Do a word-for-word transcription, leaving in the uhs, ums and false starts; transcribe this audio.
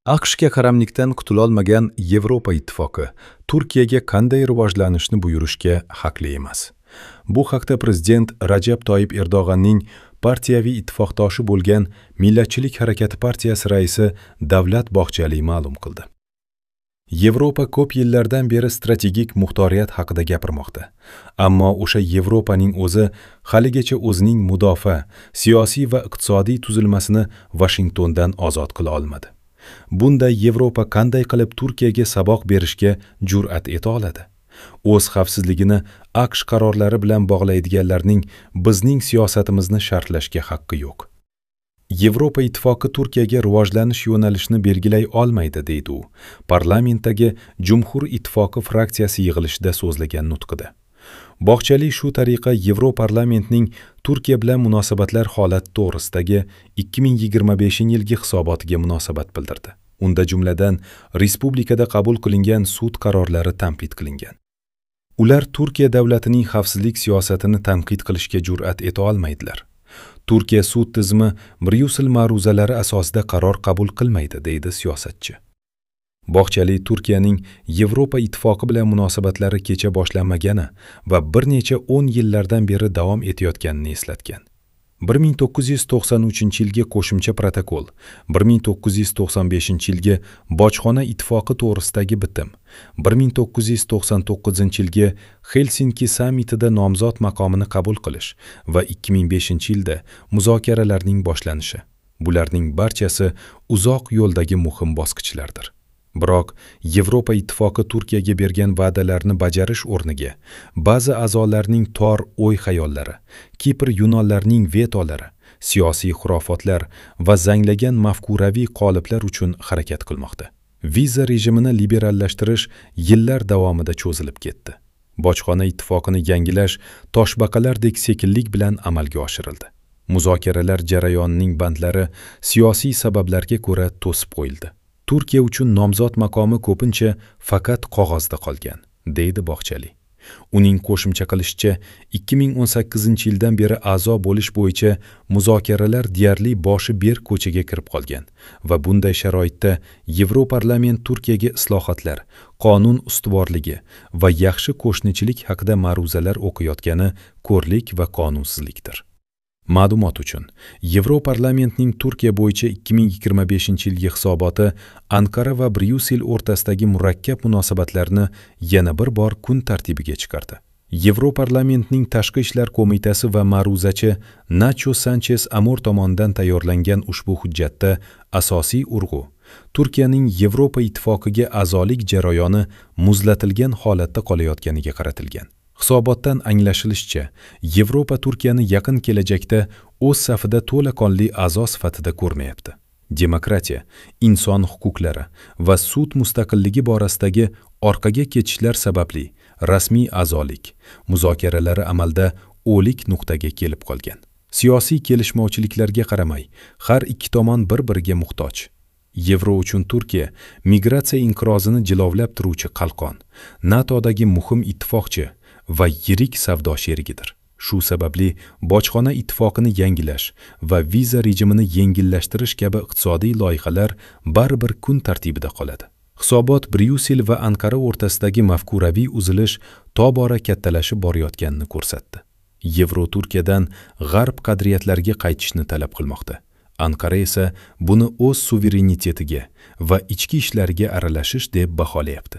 A Q Shga qaramlikdan qutulolmagan Yevropa Ittifoqi Turkiyaga qanday rivojlanishni buyurishga haqli emas. Bu haqda prezident Rajab Toyib Erdo'g'anning partiyaviy ittifoqdoshi bo'lgan Millatchilik harakati partiyasi raisi Davlat Bog'chali ma'lum qildi. Yevropa ko'p yillardan beri strategik muxtoriyat haqida gapirmoqda. Ammo o'sha Yevropaning o'zi haligacha o'zining mudofaa, siyosiy va iqtisodiy tuzilmasini Vashingtondan ozod qila olmadi. Bunday Yevropa qanday qilib Turkiyaga saboq berishga jur'at eta oladi? O'z xavfsizligini A Q Sh qarorlari bilan bog'laydiganlarning bizning siyosatimizni sharhlashga haqqi yo'q. Yevropa Ittifoqi Turkiyaga rivojlanish yo'nalishini belgilay olmaydi, deydi u parlamentdagi Jumhur Ittifoqi fraksiyasi yig'ilishida so'zlagan nutqida. Bog'chali shu tariqa Yevroparlamentning Turkiya bilan munosabatlar holati to'g'risidagi ikki ming yigirma beshinchi yilgi hisobotiga munosabat bildirdi. Unda jumladan respublikada qabul qilingan sud qarorlari tanqid qilingan. Ular Turkiya davlatining xavfsizlik siyosatini tanqid qilishga jur'at eta olmaydilar. Turkiya sud tizimi Bryussel ma'ruzalari asosida qaror qabul qilmaydi, deydi siyosatchi. Bog'chali Turkiyaning Yevropa Ittifoqi bilan munosabatlari kecha boshlanmagani va bir necha o'n yillardan beri davom etayotganini eslatgan. bir ming to'qqiz yuz to'qson uchinchi yilgi qo'shimcha protokol, bir ming to'qqiz yuz to'qson beshinchi yilgi Bojxona ittifoqi to'g'risidagi bitim, bir ming to'qqiz yuz to'qson to'qqizinchi yilgi Helsinki sammitida nomzod maqomini qabul qilish va ikki ming beshinchi yilda muzokaralarning boshlanishi. Bularning barchasi uzoq yo'ldagi muhim bosqichlardir. Biroq Yevropa Ittifoqi Turkiyaga bergan va'dalarni bajarish o'rniga ba'zi a'zolarning tor o'y-xayollari, Kipr yunonlarining vetolari, siyosiy xurofotlar va zanglagan mafkuraviy qoliplar uchun harakat qilmoqda. Viza rejimini liberallashtirish yillar davomida cho'zilib ketdi. Bojxona ittifoqini yangilash toshbaqalardek sekinlik bilan amalga oshirildi. Muzokaralar jarayonining bandlari siyosiy sabablarga ko'ra to'sib qo'yildi. Turkiya uchun nomzod maqomi ko'pincha faqat qog'ozda qolgan, deydi Bog'chali. Uning qo'shimcha qilishicha, ikki ming o'n sakkizinchi yildan beri a'zo bo'lish bo'yicha muzokaralar deyarli boshi berk ko'chaga kirib qolgan va bunday sharoitda Yevroparlament Turkiyaga islohotlar, qonun ustuvorligi va yaxshi qo'shnichilik haqida ma'ruzalar o'qiyotgani ko'rlik va qonunsizlikdir. Ma'lumot uchun, Yevroparlamentning Turkiya bo'yicha ikki ming yigirma beshinchi yilgi hisoboti Anqara va Bryussel o'rtasidagi murakkab munosabatlarni yana bir bor kun tartibiga chiqardi. Yevroparlamentning Tashqi ishlar qo'mitasi va ma'ruzachi Nacho Sanchez Amor tomonidan tayyorlangan ushbu hujjatda asosiy urg'u Turkiyaning Yevropa Ittifoqiga a'zolik jarayoni muzlatilgan holatda qolayotganiga qaratilgan. Hisobotdan anglashilishicha, Yevropa Turkiyani yaqin kelajakda o'z safida to'laqonli a'zo sifatida ko'rmayapti. Demokratiya, inson huquqlari va sud mustaqilligi borasidagi orqaga ketishlar sababli rasmiy a'zolik muzokaralari amalda o'lik nuqtaga kelib qolgan. Siyosiy kelishmovchiliklarga qaramay, har ikki tomon bir-biriga muhtoj. Yevro uchun Turkiya migratsiya inqirozini jilovlab turuvchi qalqon, NATOdagi muhim ittifoqchi va yirik savdo sherigidir. Shu sababli bojxona ittifoqini yangilash va viza rejimini yengillashtirish kabi iqtisodiy loyihalar baribir kun tartibida qoladi. Hisobot Bryussel va Anqara o'rtasidagi mafkuraviy uzilish tobora kattalashib borayotganini ko'rsatdi. Yevro Turkiyadan g'arb qadriyatlariga qaytishni talab qilmoqda. Anqara esa buni o'z suverenitetiga va ichki ishlariga aralashish deb baholayapti.